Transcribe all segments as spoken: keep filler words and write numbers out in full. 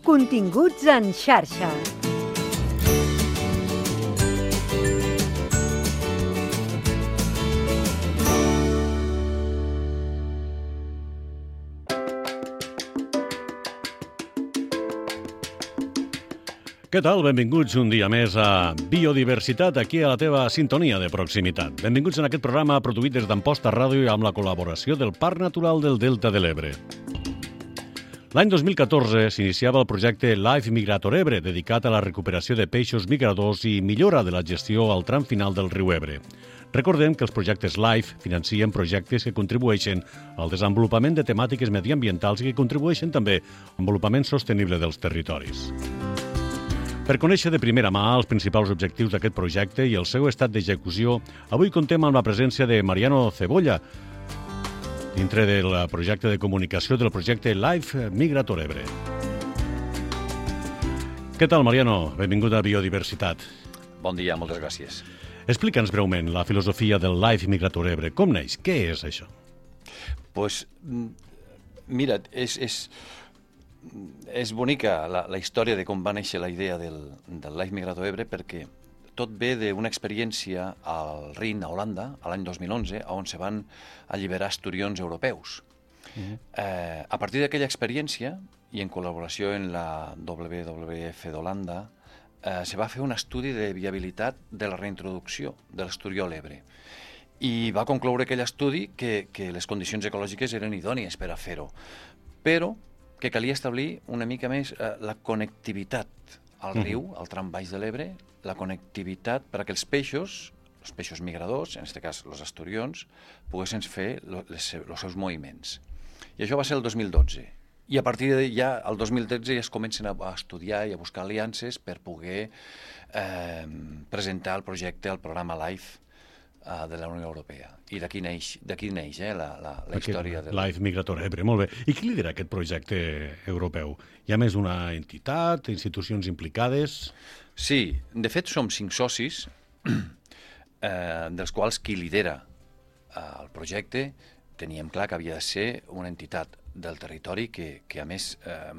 Continguts en xarxa. Què tal? Benvinguts un dia més a Biodiversitat, aquí a la teva sintonia de proximitat. Benvinguts en aquest programa produït des d'Amposta Ràdio i amb la col·laboració del Parc Natural del Delta de l'Ebre. L'any dos mil catorze s'iniciava el projecte Life Migrator Ebre, dedicat a la recuperació de peixos migradors i millora de la gestió al tram final del riu Ebre. Recordem que els projectes Life financien projectes que contribueixen al desenvolupament de temàtiques mediambientals i que contribueixen també al desenvolupament sostenible dels territoris. Per conèixer de primera mà els principals objectius d'aquest projecte i el seu estat d'execució, avui contem amb la presència de Mariano Cebolla, dintre del projecte de comunicació del projecte Life Migrator Ebre. Què tal, Mariano? Benvingut a Biodiversitat. Bon dia, moltes gràcies. Explica'ns breument la filosofia del Life Migrator Ebre. Com neix? Què és això? Pues, mira, és... és... És bonica la, la història de com va néixer la idea del, del Life Migrator Ebre, perquè tot ve d'una experiència al Rin, a Holanda, a l'any dos mil onze, on se van alliberar esturions europeus. Uh-huh. eh, a partir d'aquella experiència, i en col·laboració amb la W W F d'Holanda, eh, se va fer un estudi de viabilitat de la reintroducció de l'esturió a l'Ebre. I va concloure aquell estudi que, que les condicions ecològiques eren idònies per a fer-ho. Però que calia establir una mica més eh, la connectivitat al uh-huh. riu, al tram baix de l'Ebre, la connectivitat per a que els peixos, els peixos migradors, en aquest cas els esturions, poguessin fer els seus moviments. I això va ser el dos mil dotze. I a partir de ja, el dos mil tretze, ja es comencen a, a estudiar i a buscar aliances per poder eh, presentar el projecte al programa LIFE uh, de la Unió Europea. I d'aquí neix, d'aquí neix eh, la, la, la història. Del... Life Migrator Ebre, molt bé. I qui lidera aquest projecte europeu? Hi ha més d'una entitat, institucions implicades? Sí, de fet som cinc socis, eh, dels quals qui lidera eh, el projecte teníem clar que havia de ser una entitat del territori que, que a més eh,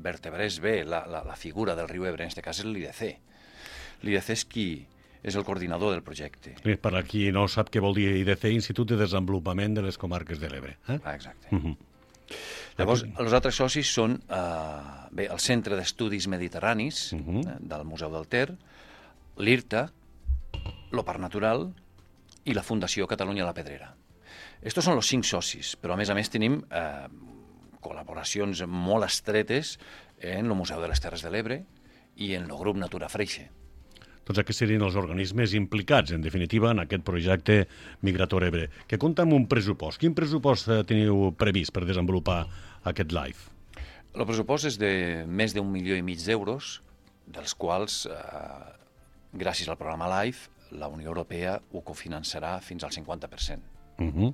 vertebrés bé la, la, la figura del riu Ebre, en aquest cas és l'I D C. L'I D C és qui és el coordinador del projecte. Per a qui no sap què vol dir I D C, Institut de Desenvolupament de les Comarques de l'Ebre. Eh? Ah, exacte. Uh-huh. Llavors, Aquí... els altres socis són eh, bé, el Centre d'Estudis Mediterranis uh-huh. eh, del Museu del Ter, l'IRTA, l'Opar Natural i la Fundació Catalunya La Pedrera. Estos són els cinc socis, però a més a més tenim eh, col·laboracions molt estretes en el Museu de les Terres de l'Ebre i en el grup Natura Freixe. Tots aquests serien els organismes implicats, en definitiva, en aquest projecte Migrator Ebre, que compta amb un pressupost. Quin pressupost teniu previst per desenvolupar aquest Life? El pressupost és de més d'un milió i mig d'euros, dels quals, eh, gràcies al programa Life, la Unió Europea ho cofinançarà fins al cinquanta per cent. Uh-huh.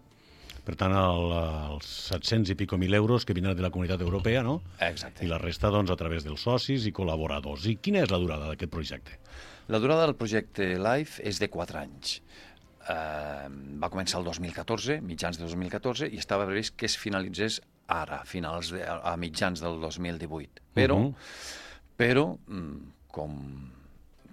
Per tant, el, els set-cents i pico mil euros que vindran de la Comunitat Europea, no? Exacte. I la resta, doncs, a través dels socis i col·laboradors. I quina és la durada d'aquest projecte? La durada del projecte LIFE és de quatre anys. Eh, va començar el dos mil catorze, mitjans de dos mil catorze, i estava previst que es finalitzés ara, a finals de, a mitjans del dos mil divuit. Però, uh-huh. però com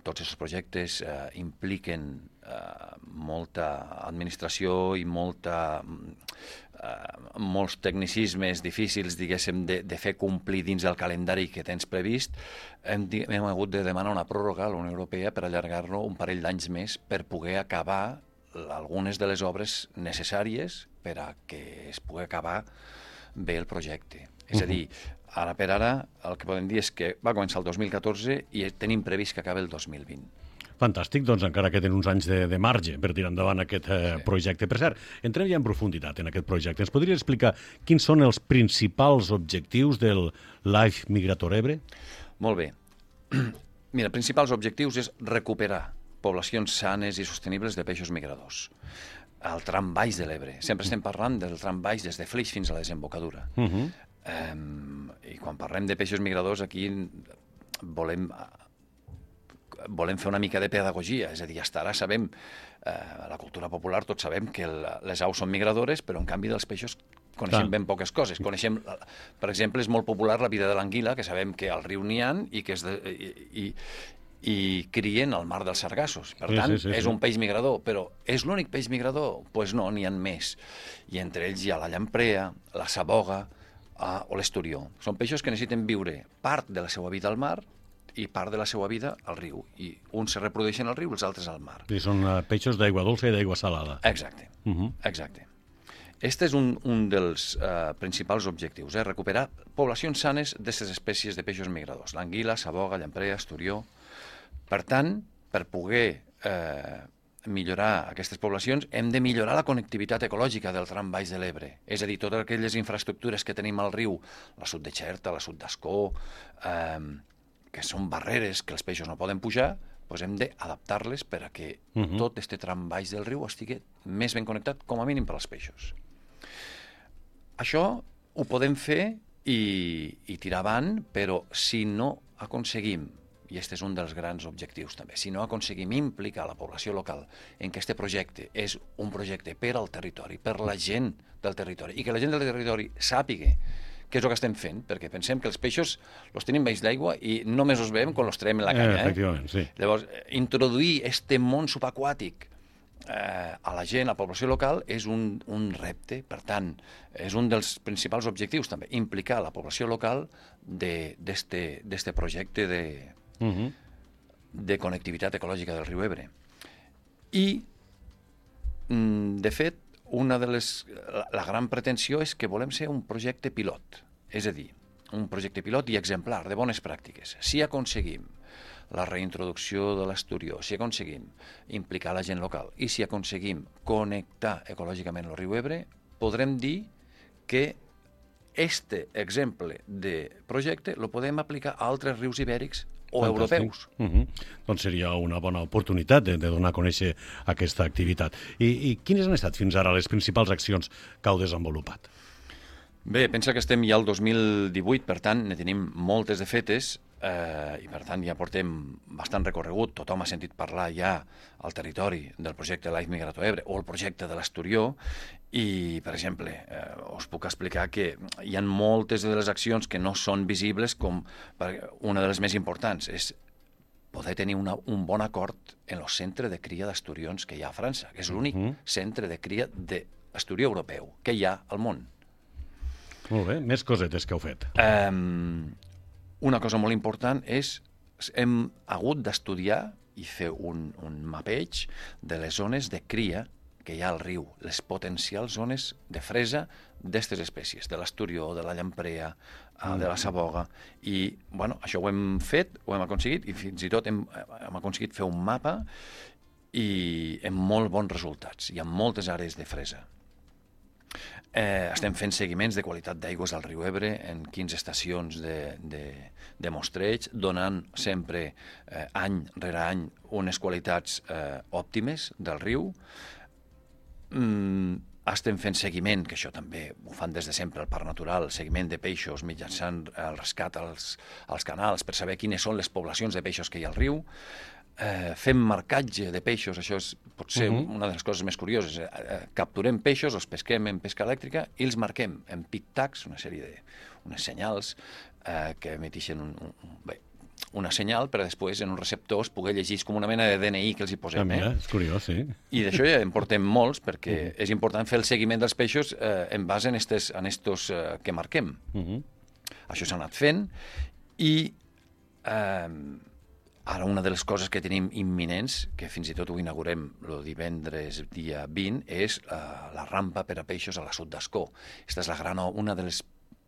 tots aquests projectes eh, impliquen eh, molta administració i molta, eh, molts tecnicismes difícils, diguéssim, de, de fer complir dins del calendari que tens previst, hem, hem hagut de demanar una pròrroga a la Unió Europea per allargar-lo un parell d'anys més per poder acabar algunes de les obres necessàries per a que es pugui acabar bé el projecte. És a dir, ara per ara, el que podem dir és que va començar el dos mil catorze i tenim previst que acabi el dos mil vint. Fantàstic, doncs encara que tenen uns anys de, de marge per tirar endavant aquest eh, sí. projecte. Per cert, entrem ja en profunditat en aquest projecte. Ens podria explicar quins són els principals objectius del Life Migrator Ebre? Molt bé. Mira, principals objectius és recuperar poblacions sanes i sostenibles de peixos migradors. Al tram baix de l'Ebre. Sempre estem parlant del tram baix des de Flix fins a la desembocadura. Uh-huh. Um, I quan parlem de peixos migradors, aquí volem, volem fer una mica de pedagogia. És a dir, hasta ara sabem, eh, a la cultura popular tots sabem que el, les aus són migradores, però en canvi dels peixos coneixem Clar. ben poques coses. Coneixem, per exemple, és molt popular la vida de l'anguila, que sabem que al riu n'hi ha i que és de, i, i, i crien al mar dels Sargassos. Per Sí, tant, sí, sí, és sí. un peix migrador, però és l'únic peix migrador? Doncs pues no, n'hi ha més. I entre ells hi ha la llamprea, la saboga uh, o l'esturió. Són peixos que necessiten viure part de la seva vida al mar i part de la seva vida al riu. I uns se reprodueixen al riu, els altres al mar. I són uh, peixos d'aigua dolça i d'aigua salada. Exacte, Uh -huh. exacte. Este és un, un dels uh, principals objectius, eh? recuperar poblacions sanes d'aquestes espècies de peixos migradors. L'anguila, saboga, llamprea, esturió. Per tant, per poder eh, millorar aquestes poblacions, hem de millorar la connectivitat ecològica del tram baix de l'Ebre. És a dir, totes aquelles infraestructures que tenim al riu, la sud de Xerta, la sud d'Ascó, eh, que són barreres que els peixos no poden pujar, doncs hem d'adaptar-les per a que uh -huh. tot este tram baix del riu estigui més ben connectat, com a mínim per als peixos. Això ho podem fer i, i tirar avant, però si no aconseguim, i aquest és un dels grans objectius també, si no aconseguim implicar la població local en que aquest projecte és un projecte per al territori, per la gent del territori, i que la gent del territori sàpiga què és el que estem fent, perquè pensem que els peixos els tenim baix l'aigua i només els veiem quan els traiem en la canya. Eh, efectivament, sí. Llavors, introduir este món subaquàtic eh, a la gent, a la població local, és un, un repte. Per tant, és un dels principals objectius també, implicar la població local d'este projecte de, Uh -huh. de connectivitat ecològica del riu Ebre. I, de fet, una de les, la, la gran pretensió és que volem ser un projecte pilot, és a dir, un projecte pilot i exemplar de bones pràctiques. Si aconseguim la reintroducció de l'esturió, si aconseguim implicar la gent local i si aconseguim connectar ecològicament el riu Ebre, podrem dir que este exemple de projecte lo podem aplicar a altres rius ibèrics o Fantàstic. europeus. Uh -huh. Doncs seria una bona oportunitat de, de donar a conèixer aquesta activitat. I, I quines han estat fins ara les principals accions que heu desenvolupat? Bé, pensa que estem ja al dos mil divuit, per tant, ne tenim moltes de fetes, eh, i per tant ja portem bastant recorregut. Tothom ha sentit parlar ja al territori del projecte Life Migrato Ebre o el projecte de l'Esturió, i, per exemple, eh, us puc explicar que hi ha moltes de les accions que no són visibles, com una de les més importants és poder tenir una, un bon acord en el centre de cria d'esturions que hi ha a França, que és l'únic uh -huh. centre de cria d'esturió europeu que hi ha al món. Molt bé, més cosetes que heu fet. Um, una cosa molt important és hem hagut d'estudiar i fer un, un mapeig de les zones de cria que hi ha al riu, les potencials zones de fresa d'aquestes espècies, de l'esturió, de la llamprea, mm. de la saboga, i bueno, això ho hem fet, ho hem aconseguit, i fins i tot hem, hem aconseguit fer un mapa i amb molt bons resultats. Hi ha moltes àrees de fresa. Eh, estem fent seguiments de qualitat d'aigües al riu Ebre en quinze estacions de, de, de mostreig, donant sempre, eh, any rere any, unes qualitats eh, òptimes del riu. Mm, estem fent seguiment, que això també ho fan des de sempre al Parc Natural, seguiment de peixos mitjançant el rescat als, als canals per saber quines són les poblacions de peixos que hi ha al riu. Eh, fem marcatge de peixos, això és potser uh -huh. una de les coses més curioses. Eh, eh, capturem peixos, els pesquem en pesca elèctrica i els marquem en pic-tacs, una sèrie de unes senyals eh, que emetixen un, un, bé, una senyal per a després en un receptor es poder llegir com una mena de D N I que els hi posem. Ah, mira, eh? és curiós, sí. I d'això ja en portem molts, perquè uh -huh. és important fer el seguiment dels peixos eh, en base en estos, en estos eh, que marquem. Uh -huh. Això s'ha anat fent i eh, ara una de les coses que tenim imminents, que fins i tot ho inaugurem el divendres dia vint, és uh, la rampa per a peixos a la sud d'Ascó. Aquesta és la gran, una de les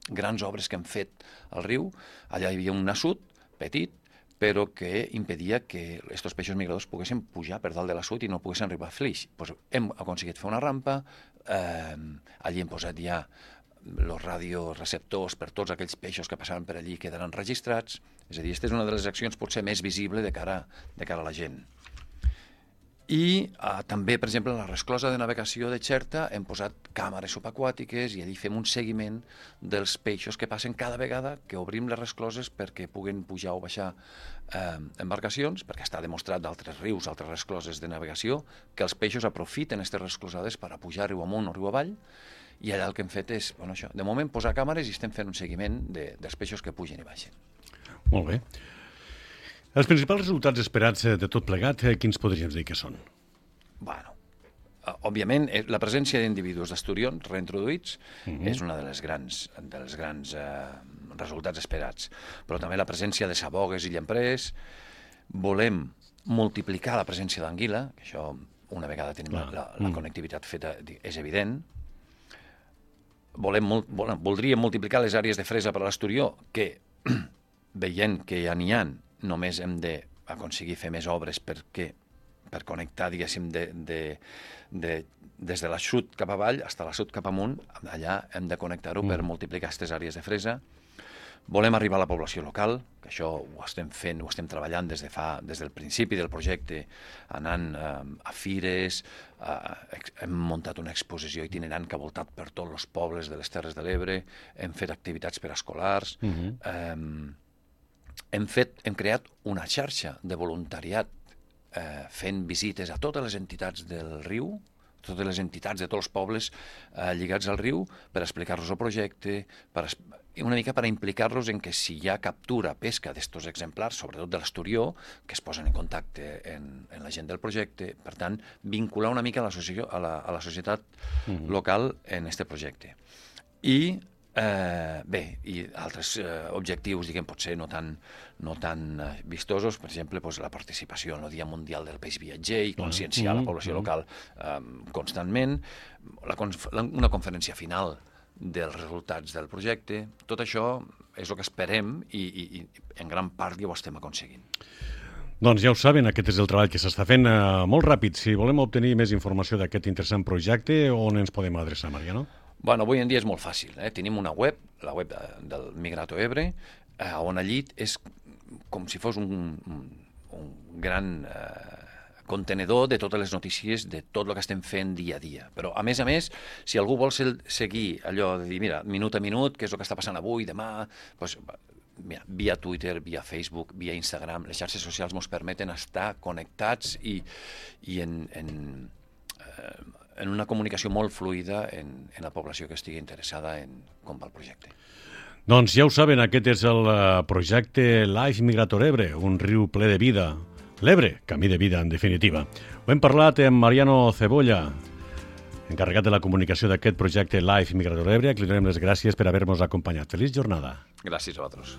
grans obres que hem fet al riu. Allà hi havia un assut petit, però que impedia que aquests peixos migradors poguessin pujar per dalt de l'assut i no poguessin arribar a flix. Pues hem aconseguit fer una rampa, eh, allí hem posat ja els radioreceptors per tots aquells peixos que passaven per allí quedaran registrats. És a dir, aquesta és una de les accions potser més visible de cara, de cara a la gent. I eh, també, per exemple, a la resclosa de navegació de Xerta hem posat càmeres subaquàtiques i allí fem un seguiment dels peixos que passen cada vegada que obrim les rescloses perquè puguen pujar o baixar eh, embarcacions, perquè està demostrat d'altres rius, altres rescloses de navegació, que els peixos aprofiten aquestes resclosades per a pujar riu amunt o riu avall, I allà el que hem fet és, bueno, això, de moment posar càmeres i estem fent un seguiment de, dels peixos que pugen i baixen. Molt bé. Els principals resultats esperats de tot plegat, eh, quins podríem dir que són? Bueno, òbviament, la presència d'individus d'esturions reintroduïts uh-huh. és una de les grans, dels grans eh, resultats esperats. Però també la presència de sabogues i llamprers. Volem multiplicar la presència d'anguila, que això, una vegada tenim la, la, la connectivitat feta, és evident. Volem, vol, voldríem multiplicar les àrees de fresa per a l'esturió, que, veient que ja n'hi ha, només hem d'aconseguir fer més obres perquè per connectar, diguéssim, de, de, de, des de la sud cap avall fins a la sud cap amunt, allà hem de connectar-ho mm. per multiplicar aquestes àrees de fresa. Volem arribar a la població local, que això ho estem fent, ho estem treballant des de fa, des del principi del projecte, anant eh, a fires, eh, hem muntat una exposició itinerant que ha voltat per tots els pobles de les Terres de l'Ebre, hem fet activitats per a escolars, mm-hmm. eh, hem, fet, hem creat una xarxa de voluntariat eh, fent visites a totes les entitats del riu, totes les entitats de tots els pobles eh, lligats al riu, per explicar-los el projecte, per, una mica per implicar-los en que si hi ha captura, pesca d'estos exemplars, sobretot de l'esturió, que es posen en contacte en, en la gent del projecte, per tant, vincular una mica a la, a la, a la societat mm-hmm. local en aquest projecte. I Eh, bé, i altres eh, objectius, diguem, potser no tan, no tan eh, vistosos, per exemple, pues, la participació en el Dia Mundial del Peix Viatger i conscienciar mm-hmm. la població local eh, constantment, la, la, una conferència final dels resultats del projecte. Tot això és el que esperem i, i, i en gran part ja ho estem aconseguint. Doncs ja ho saben, aquest és el treball que s'està fent eh, molt ràpid. Si volem obtenir més informació d'aquest interessant projecte, on ens podem adreçar, Mariano? Bueno, avui en dia és molt fàcil. Eh? Tenim una web, la web de, del Migrato Ebre, eh, on allí és com si fos un, un, un gran eh, contenedor de totes les notícies de tot el que estem fent dia a dia. Però, a més a més, si algú vol seguir allò de dir, mira, minut a minut, què és el que està passant avui, demà, doncs, mira, via Twitter, via Facebook, via Instagram, les xarxes socials ens permeten estar connectats i, i en... en eh, en una comunicació molt fluida en, en la població que estigui interessada en com va el projecte. Doncs ja ho saben, aquest és el projecte Life Migrator Ebre, un riu ple de vida. L'Ebre, camí de vida, en definitiva. Ho hem parlat amb Mariano Cebolla, encarregat de la comunicació d'aquest projecte Life Migrator Ebre, a qui li donem les gràcies per haver-nos acompanyat. Feliç jornada. Gràcies a vosaltres.